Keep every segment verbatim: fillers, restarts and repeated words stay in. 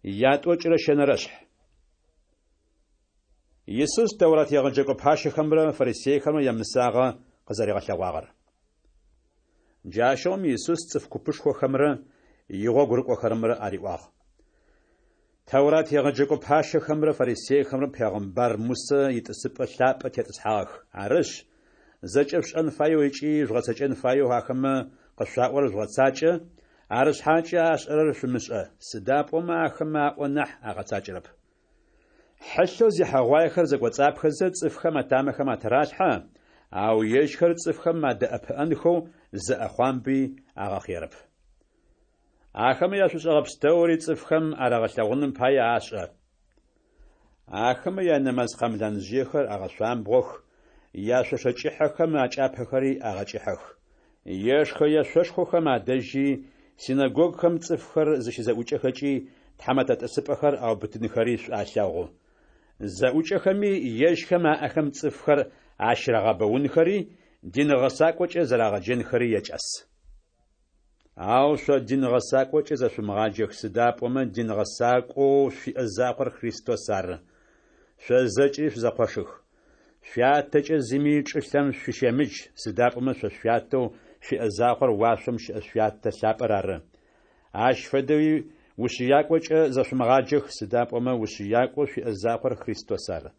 Ятӏокӏырэ щэнэрэшъхь. Исус Тэурат егъэджэкӏо пащэхэмрэ фарисейхэмрэ ямысагъэ къызэригъэлъэгъуагъэр. Джащыгъум Исус цӏыф купышхохэмрэ игъогу рыкӏохэрэмрэ ариӏуагъ: Тэурат егъэджэкӏо пащэхэмрэ фарисейхэмрэ пегъымбар Мусэ итӏысыпӏэ лъапӏэ тетӏысхьагъэх. Арышъ, зэкӏэ шъушӏэн фаеу ыкӏи жъугъэцэкӏэн фаеу ахэмэ къышъуаӏорэр жъугъэцакӏэ, арышъхьакӏэ ашӏэрэр шъумышӏэ, сыда пӏомэ ахэмэ аӏо нахь агъэцакӏэрэп. Хьылъэу зехьэгъуаехэр зэкӏоцӏапхэзэ цӏыфхэм атамэхэм атыралъхьэ, ау ежьхэр цӏыфхэм адэӏэпыӏэнхэу зы ӏэхъуамби агъэхъыерэп. Ахэмэ яшӏушӏэгъэ пстэури цӏыфхэм арагъэлъэгъуным пае ашӏэ. Ахэмэ янэмаз къэмланжъыехэр агъэшъуамбгъох, яшъошэ кӏыхьэхэм акӏапэхэри агъэкӏыхьэх. Ешхэ-ешъошхохэм адэжьи, синэгогухэм цӏыфхэр зыщызэӏукӏэхэкӏи тхьэмэтэ тӏысыпӏэхэр аубытынхэри шӏу алъэгъу. Зэӏукӏэхэми ежьхэм аӏэхэм цӏыфхэр ащырагъэбэунхэри, дин гъэсакӏокӏэ зэрагъэджэнхэри якӏас. Ау шъо дин гъэсакӏокӏэ зэшъумыгъаджэх, сыда пӏомэ дин гъэсакӏоу шъуиӏэ закъор Христос ары. Шъо зэкӏэри шъузэкъошых. Шъуятэкӏэ зыми чӏылъэм шъущемыдж, сыда пӏомэ шъо шъуятэу шъуиӏэ закъор уашъом щыӏэ Шъуятэ лъапӏэр ары. Ащ фэдэуи ушъыякӏокӏэ зэшъумыгъаджэх, сыда пӏомэ ушъыякӏоу шъуиӏэ закъор Христос ары.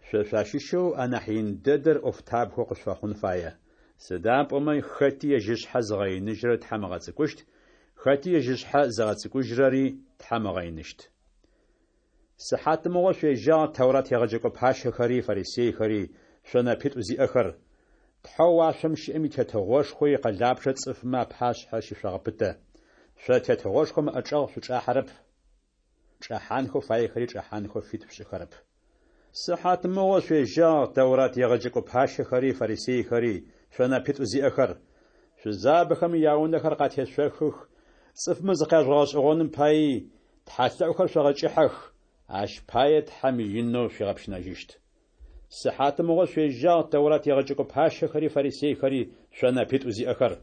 Шъо шъуащыщэу анахь ин дэдэр ӏофтабгэу къышъуфэхъун фае. Сыда пӏомэ хэти ежь ышъхьэ зыгъэиныжьырэр Тхьэм ыгъэцӏыкӏущт, хэти ежь ышъхьэ зыгъэцӏыкӏужьырэри Тхьэм ыгъэиныщт. Сыхьатмыгъо шъуежьагъ Тэурат егъэджэкӏо пащэхэри фарисейхэри, шъо нэпитӏу зиӏэхэр! Тхьэу уашъом щыӏэм и Тетыгъошхо икъэлапчъэ цӏыфмэ апашъхьэ щышъогъэпытэ. Шъо тетыгъошхом ыӏэчӏэгъ шъучӏахьэрэп, чӏэхьанхэу фаехэри чӏэхьанхэу фит шъушӏыхэрэп. Сыхьатмыгъо шъуежьагъ Тэурат егъэджэкӏо пащэхэри фарисейхэри, шъо нэпитӏу зиӏэхэр! Шъузабэхэм яунэхэр къатешъохых, цӏыфмэ зыкъяжъугъэгъэшӏэгъоным паий тхьэлъэӏухэр шъогъэкӏыхьэх, ащ пае Тхьэм инэу шъуигъэпщынэжьыщт. Сыхьатмыгъо шъуежьагъ Тэурат егъэджэкӏо пащэхэри фарисейхэри, шъо нэпитӏу зиӏэхэр!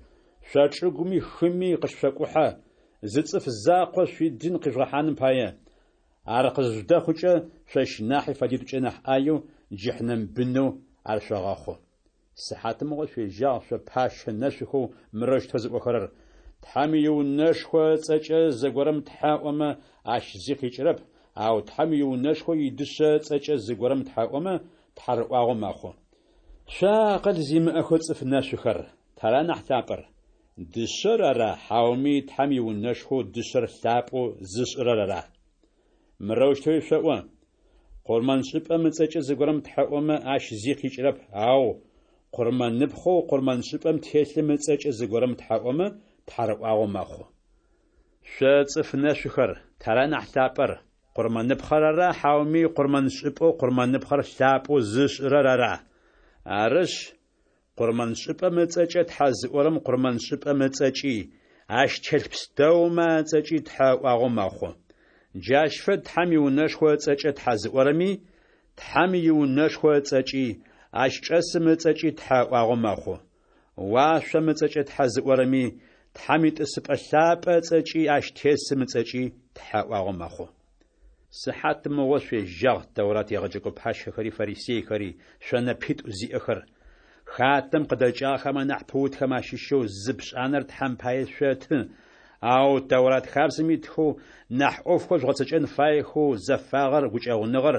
Шъо чӏыгуми хыми къыщышъокӏухьэ, зы цӏыф закъо шъуидин къижъугъэхьаным пае. Ар къызыжъудэхъукӏэ, шъощ нахьи фэдитӏукӏэ нахь ӏаеу джыхьнэм бынэу ар шъогъэхъу. Сыхьатмыгъо шъуежьагъ шъо пащэ нэшъухэу мырэущтэу зыӏохэрэр: Тхьэм иунэшхо ыцӏэкӏэ зыгорэм тхьэ ыӏомэ, ащ зи къикӏырэп, ау Тхьэм иунэшхо идышъэ ыцӏэкӏэ зыгорэм тхьэ ыӏомэ, тхьарыӏуагъэу мэхъу. Шъо акъыл зимыӏэхэу цӏыф нэшъухэр, тара нахь лъапӏэр? Дышъэр ара, хьауми Тхьэм иунэшхоу дышъэр лъапӏэу зышӏырэр ара? Мырэущтэуи шъоӏо: Къурмэншӏыпӏэм ыцӏэкӏэ зыгорэм тхьэ ыӏомэ, ащ зи къикӏырэп, ау къурмэныпхъэу къурмэншӏыпӏэм телъым ыцӏэкӏэ зыгорэм тхьэ ыӏомэ, тхьарыӏуагъэу мэхъу. Шъо цӏыф нэшъухэр, тара нахь лъапӏэр? Къурмэныпхъэр ара, хьауми къурмэншӏыпӏэу къурмэныпхъэр лъапӏэу зышӏырэр ара? Арышъ, къурмэншӏыпӏэм ыцӏэкӏэ тхьэ зыӏорэм къурмэншӏыпӏэм ыцӏэкӏи, ащ телъ пстэумэ ацӏэкӏи тхьэ ыӏуагъэу мэхъу. Джащ фэд Тхьэм иунэшхо ыцӏэкӏэ тхьэ зыӏорэми, Тхьэм иунэшхо ыцӏэкӏи, ащ чӏэсым ыцӏэкӏи тхьэ ыӏуагъэу мэхъу. Уашъом ыцӏэкӏэ тхьэ зыӏорэми, Тхьэм итӏысыпӏэ лъапӏэ ыцӏэкӏи ащ тесым ыцӏэкӏи тхьэ ыӏуагъэу мэхъу. Сыхьатмыгъо шъуежьагъ Тэурат егъэджэкӏо пащэхэри фарисейхэри, шъо нэпитӏу зиӏэхэр! Хатэм къыдэкӏыгъэхэм анахь пыутхэм ащыщэу зы пшӏанэр Тхьэм пае шъоты, ау Тэурат хабзэм итхэу нахь ӏофхэу жъугъэцэкӏэн фаехэу зэфагъэр, гукӏэгъуныгъэр,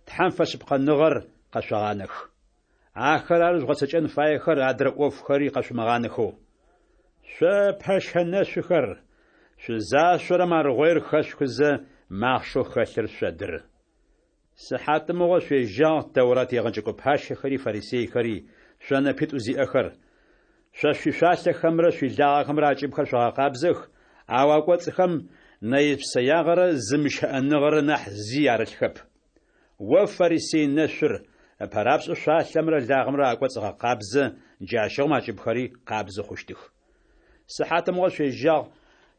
Тхьэм фэшъыпкъэныгъэр къэшъогъанэх. Ахэр ары жъугъэцэкӏэн фаехэр адрэ ӏофхэри къэшъумыгъанэхэу. Шъо пэщэ нэшъухэр, шъузашъорэм аргъоир хэшъухызэ, махъшэу хэлъыр шъодыры. Сыхьатмыгъо шъуежьагъ Тэурат егъэджэкӏо пащэхэри фарисейхэри, шъо нэпитӏу зиӏэхэр! Шъо шъуишъуалъэхэмрэ шъуилагъэхэмрэ акӏыбхэр шъогъэкъабзэх, ау акӏоцӏхэм нэе-псэягъэрэ зымыщыӏэныгъэрэ нахь зи арылъхэп. О фарисей нэшъур, ыпэрапшӏэу шъуалъэмрэ лагъэмрэ акӏоцӏ гъэкъабзэ, джащыгъум акӏыбхэри къабзэ хъущтых. Сыхьатмыгъо шъуежьагъ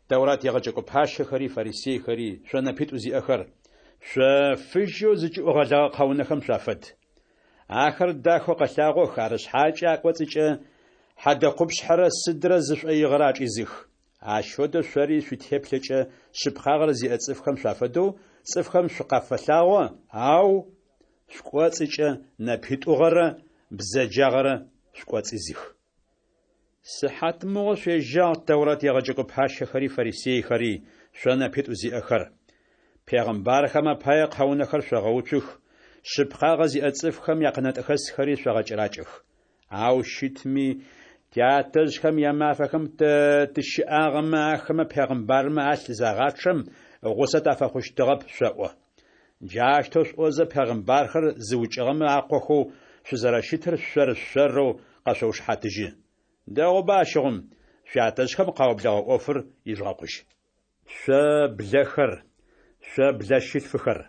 Тэурат егъэджэкӏо пащэхэри фарисейхэри, шъо нэпитӏу зиӏэхэр! Шъо фыжьэу зыкӏыӏу гъэлэгъэ къэунэхэм шъуафэд. Ахэр дахэу къэлъагъох, арышъхьакӏэ акӏоцӏыкӏэ хьэдэ къупшъхьэрэ сыдрэ зы шӏоигъэрэ ачӏизых. Ащ фэдэу шъори шъуитеплъэкӏэ шъыпкъагъэр зиӏэ цӏыфхэм шъуафэдэу цӏыфхэм шъукъафэлъагъо, ау шъукӏоцӏыкӏэ нэпитӏугъэрэ бзэджагъэрэ шъукӏоцӏизых. Сыхьатмыгъо шъуежьагъ, Тэурат егъэджэкӏо пащэхэри фарисейхэри, шъо нэпитӏу зиӏэхэр! Пегъымбархэм апае къэунэхэр шъогъэуцух, шъыпкъагъэ зиӏэ цӏыфхэм якъэнэтӏэхэсхэри шъогъэкӏэракӏэх. Ау щытми, тятэжъхэм ямафэхэм тэ тыщыӏагъэмэ, ахэмэ пегъымбармэ алъ загъачъэм, гъусэ тафэхъущтыгъэп шъоӏо. Джаущтэу шъуӏозэ, пегъымбархэр зыукӏыгъэмэ акъохэу шъузэрэщытыр шъор-шъорэу къэшъоушыхьатыжьы. Дэгъуба ащыгъум, шъуятэжъхэм къаублэгъэ ӏофыр ижъугъэкъужь. Шъо блэхэр, шъо блэщылъфыхэр!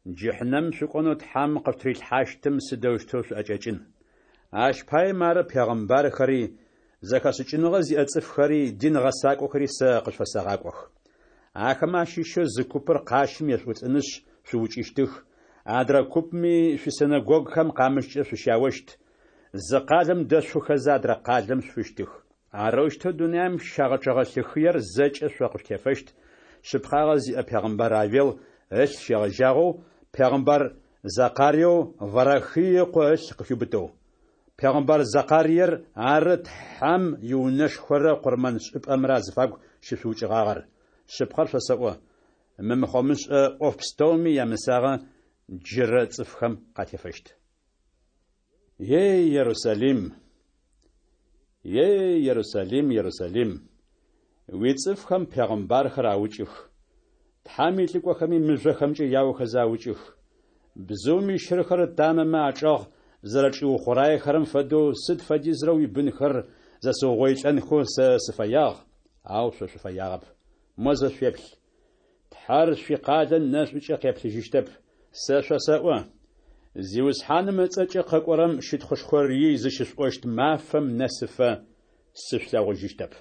Джыхьнэмым шъукӏонэу Тхьэм къышъутырилъхьащтым сыдэущтэу шъуӏэкӏэкӏын? Ащ пае мары пегъымбархэри, зэхэшӏыкӏыныгъэ зиӏэ цӏыфхэри, дин гъэсакӏохэри сэ къышъуфэсэгъакӏох. Ахэмэ ащыщэу зы купыр къащым ешъуӏулӏынышъ шъуукӏыщтых, адрэ купми шъуисинэгогухэм къамыщкӏэ шъущяощт, зы къалэм дэшъуфыхэзэ адрэ къалэм шъуфыщтых. Арэущтэу дунаим щагъэчъэгъэ лъы хыер зэкӏэ шъо къышъутефэщт, шъыпкъагъэ зиӏэ пегъымбар Авел ылъ щегъэжьагъэу пегъымбар Зэкъариеу Варахый ыкъо ылъ къыхиубытэу. Пегъымбар Зэкъариер ары Тхьэм иунэшхорэ къурмэншӏыпӏэмрэ азыфагу щышъуукӏыгъагъэр. Шъыпкъэр шъосэӏо, мы мыхъомышӏэ ӏоф пстэуми ямысагъэ джырэ цӏыфхэм къатефэщт. Ей, Ерусалим! Ей, Ерусалим, Ерусалим! Уицӏыфхэм пегъымбархэр аукӏых, Тхьэм илӏыкӏохэми мыжъохэмкӏэ яохэзэ аукӏых. Бзыум ищырхэр ытамэмэ ачӏэгъ зэрэчӏиухъураехэрэм фэдэу сыд фэдизрэ уибынхэр зэсыугъоилӏэнхэу сэ сыфэягъ, ау шъо шъуфэягъэп. Мо зэ шъуеплъ! Тхьэр шъуикъалэ нэшӏукӏэ къеплъыжьыщтэп. Сэ шъосэӏо: Зиусхьаным ыцӏэкӏэ къэкӏорэм щытхъушхор ий зыщышъуӏощт мафэм нэсыфэ, сышъулъэгъужьыщтэп.